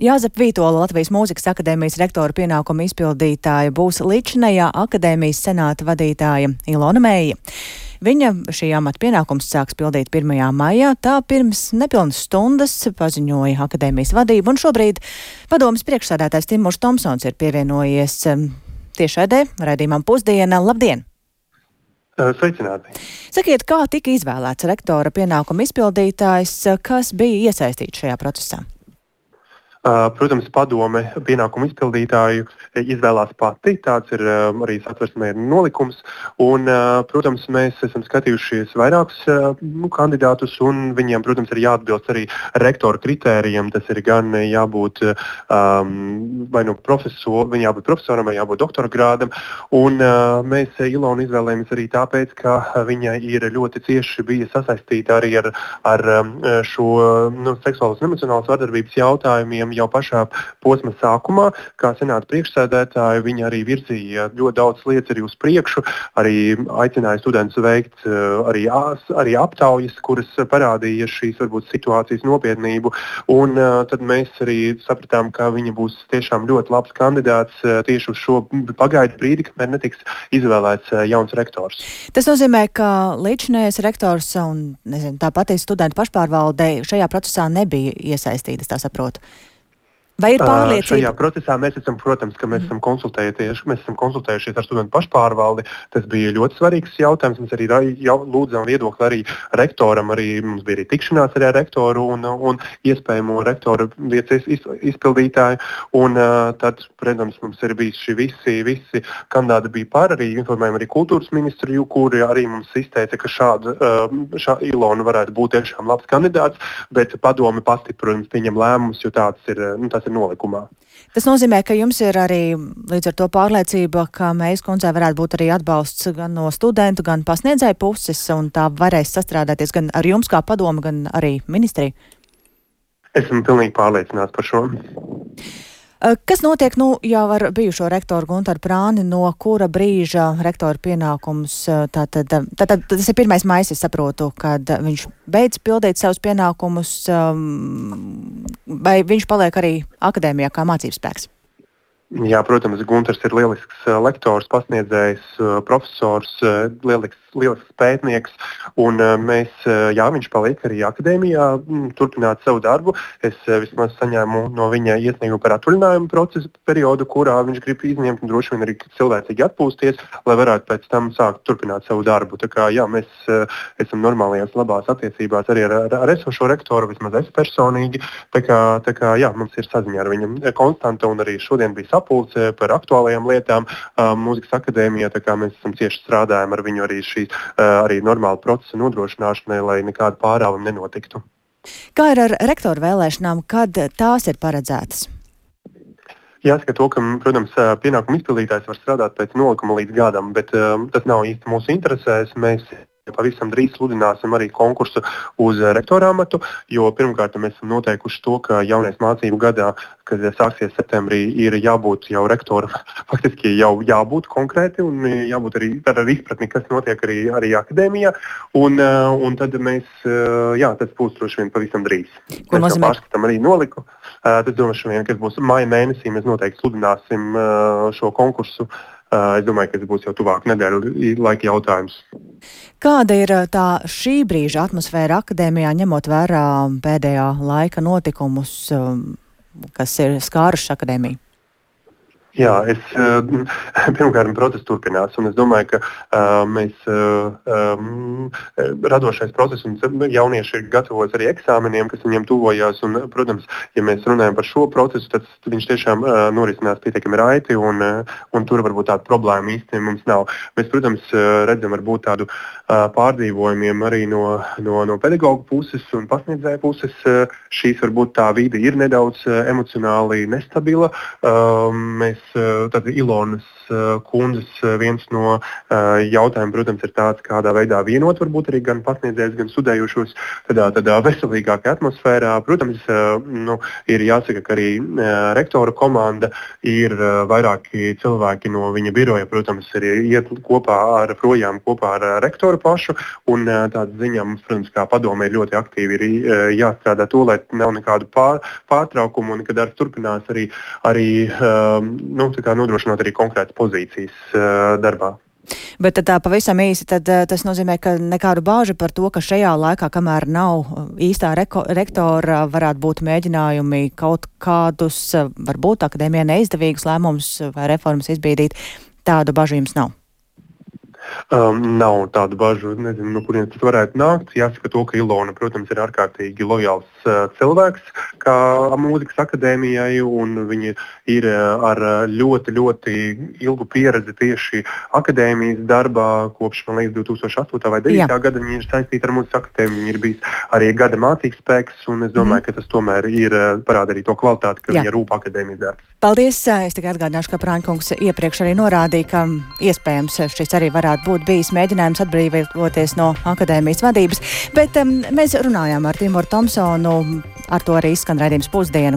Jāzepa Vītola, Latvijas Mūzikas akadēmijas rektora pienākumu izpildītāja, būs līdzinējā akadēmijas senāta vadītāja Ilona Meija. Viņa šī amata pienākums sāks pildīt 1. maijā, tā pirms nepilnas stundas paziņoja akadēmijas vadība, un šobrīd padomes priekšsēdētājs Timurs Tomsons ir pievienojies tiešraidē raidījumam Pusdiena. Labdien! Sveicināti! Sakiet, kā tika izvēlēts rektora pienākumu izpildītājs, kas bija iesaistīts šajā procesā? Protams, padome pienākumu izpildītāju izvēlās pati, tāds ir arī satversmē nolikums, un, protams, mēs esam skatījušies vairākus kandidātus, un viņiem, protams, ir jāatbilst arī rektora kritērijiem, tas ir gan jābūt vai nu viņam jābūt profesoram, vai jābūt doktora grādam, un mēs Ilonu izvēlējamies arī tāpēc, ka viņa ir ļoti cieši bija sasaistīta arī ar šo seksuālas un emocionālas vardarbības jautājumiem. Jau pašā posma sākumā, kā senāta priekšsēdētāja, viņa arī virzīja ļoti daudz lietas arī uz priekšu, arī aicināja studentus veikt arī aptaujas, kuras parādīja šīs varbūt situācijas nopietnību, un tad mēs arī sapratām, ka viņa būs tiešām ļoti labs kandidāts tieši uz šo pagaidu brīdi, kamēr netiks izvēlēts jauns rektors. Tas nozīmē, ka līdzinājais rektors un tāpat studentu pašpārvalde šajā procesā nebija iesaistītas, tā saprotu. Vai ir pārliecība? Šajā procesā mēs esam, protams, ka mēs esam konsultējušies ar studentu pašpārvaldi. Tas bija ļoti svarīgs jautājums. Mēs arī lūdzām viedokli arī rektoram, mums bija arī tikšanās ar rektoru un iespējamo rektora vietas izpildītāju. Un tad, protams, mums ir bijuši visi kandidāti bija par, arī informējām arī kultūras ministru, kuri arī mums izteica, ka šāda Ilona varētu būt tiešām labs kandidāts, bet padome pati, protams, pieņem lēmumus, jo tas ir nolikumā. Tas nozīmē, ka jums ir arī līdz ar to pārliecība, ka Meijas kundzei varētu būt arī atbalsts gan no studentu, gan pasniedzēju puses, un tā varēs sastrādāties gan ar jums kā padomu, gan arī ministriju? Esmu pilnīgi pārliecināts par šo. Kas notiek jau ar bijušo rektoru Guntaru Prāni, no kura brīža rektora pienākums, tātad tas ir 1. maijs, es saprotu, kad viņš beidz pildīt savus pienākumus, vai viņš paliek arī akadēmijā kā mācībspēks? Jā, protams, Guntars ir lielisks lektors, pasniedzējs, profesors, lielisks pētnieks, un viņš paliek arī akadēmijā, turpināt savu darbu. Es vismaz saņēmu no viņa iesniegumu par atvaļinājumu procesu periodu, kurā viņš grib izņemt un droši vien arī cilvēcīgi atpūsties, lai varētu pēc tam sākt turpināt savu darbu. Tā kā, mēs esam normālajās labās attiecībās arī ar esošo rektoru, vismaz es personīgi. Tā kā, mums ir saziņa ar viņu konstanta, un arī šodien bija sapulce par aktuālajām lietām Mūzikas akadēmijā, tā kā mēs esam cieši strādājam ar viņu arī normāla procesa nodrošināšanai, lai nekāda pārāvuma nenotiktu. Kā ir ar rektoru vēlēšanām, kad tās ir paredzētas? Jāsaka to, ka, protams, pienākumu izpildītājs var strādāt pēc nolikuma līdz gadam, bet tas nav īsti mūsu interesēs. Mēs pavisam drīz sludināsim arī konkursu uz rektora amatu, jo pirmkārt mēs esam noteikuši to, ka jaunais mācību gadā, kad sāksies septembrī, ir jābūt jau rektoram, faktiski jau jābūt konkrēti un jābūt arī ar izpratni, kas notiek arī akadēmijā, un tad tas būs droši vien pavisam drīz. Ko mēs pārskatām arī noliku. Tas droši vien, kas būs maija mēnesī, mēs noteikti sludināsim šo konkursu. Es domāju, ka tas būs jau tuvāk nedēļu laika jautājums. Kāda ir tā šī brīža atmosfēra akadēmijā, ņemot vērā pēdējā laika notikumus, kas ir skāruši akadēmiju? Jā, pirmkārt, process turpinās, un es domāju, ka radošais process un jaunieši ir gatavojas arī eksāmeniem, kas viņiem tuvojās, un, protams, ja mēs runājam par šo procesu, tad viņš tiešām norisinās pietiekami raiti, un tur varbūt tāda problēma īsti mums nav. Mēs, protams, redzam varbūt tādu pārdzīvojumiem arī no pedagogu puses un pasniedzēju puses. Šīs varbūt tā vide ir nedaudz emocionāli nestabila. Mēs tad Ilonas kundzes viens no jautājumiem, protams, ir tāds, kādā veidā vienot varbūt arī gan pasniedzējus, gan studējošos tādā veselīgākā atmosfērā. Protams, ir jāsaka, ka arī rektora komanda ir vairāki cilvēki no viņa biroja, protams, arī iet kopā ar rektoru pašu, un tāda ziņā mums, protams, kā padome ir ļoti aktīvi ir jāstrādā to, lai nav nekādu pārtraukumu un ka darbs turpinās arī nodrošinot arī konkrētas pozīcijas darbā. Bet tad tā pavisam īsi, tad tas nozīmē, ka nekādu bāžu par to, ka šajā laikā, kamēr nav īstā rektora, varētu būt mēģinājumi kaut kādus, varbūt akadēmijai neizdevīgus lēmumus vai reformas izbīdīt, tādu bažu jums nav? Nav tādu bažu, nezinu, no kurienes tas varētu nākt. Jāsaka to, ka Ilona, protams, ir ārkārtīgi lojāls cilvēks kā mūzikas akadēmijai, un viņa ir ar ļoti, ļoti ilgu pieredzi tieši akadēmijas darbā, kopš, man liekas, 2008. vai 2009. gada viņa ir saistīta ar mūzikas akadēmiju, viņa ir bijis arī gada mācīgs spēks, un es domāju, ka tas tomēr ir parāda arī to kvalitāti, ka viņa rūp akadēmijas darbs. Paldies! Es tikai atgādināšu, ka Prāņkungs iepriekš arī norādīja, ka iespējams šis arī varētu būt bijis mēģinājums atbrīvoties no akadēmijas vadības, bet mēs runājām ar Timoru Tomsonu, ar to arī izskan raidījums Pusdiena,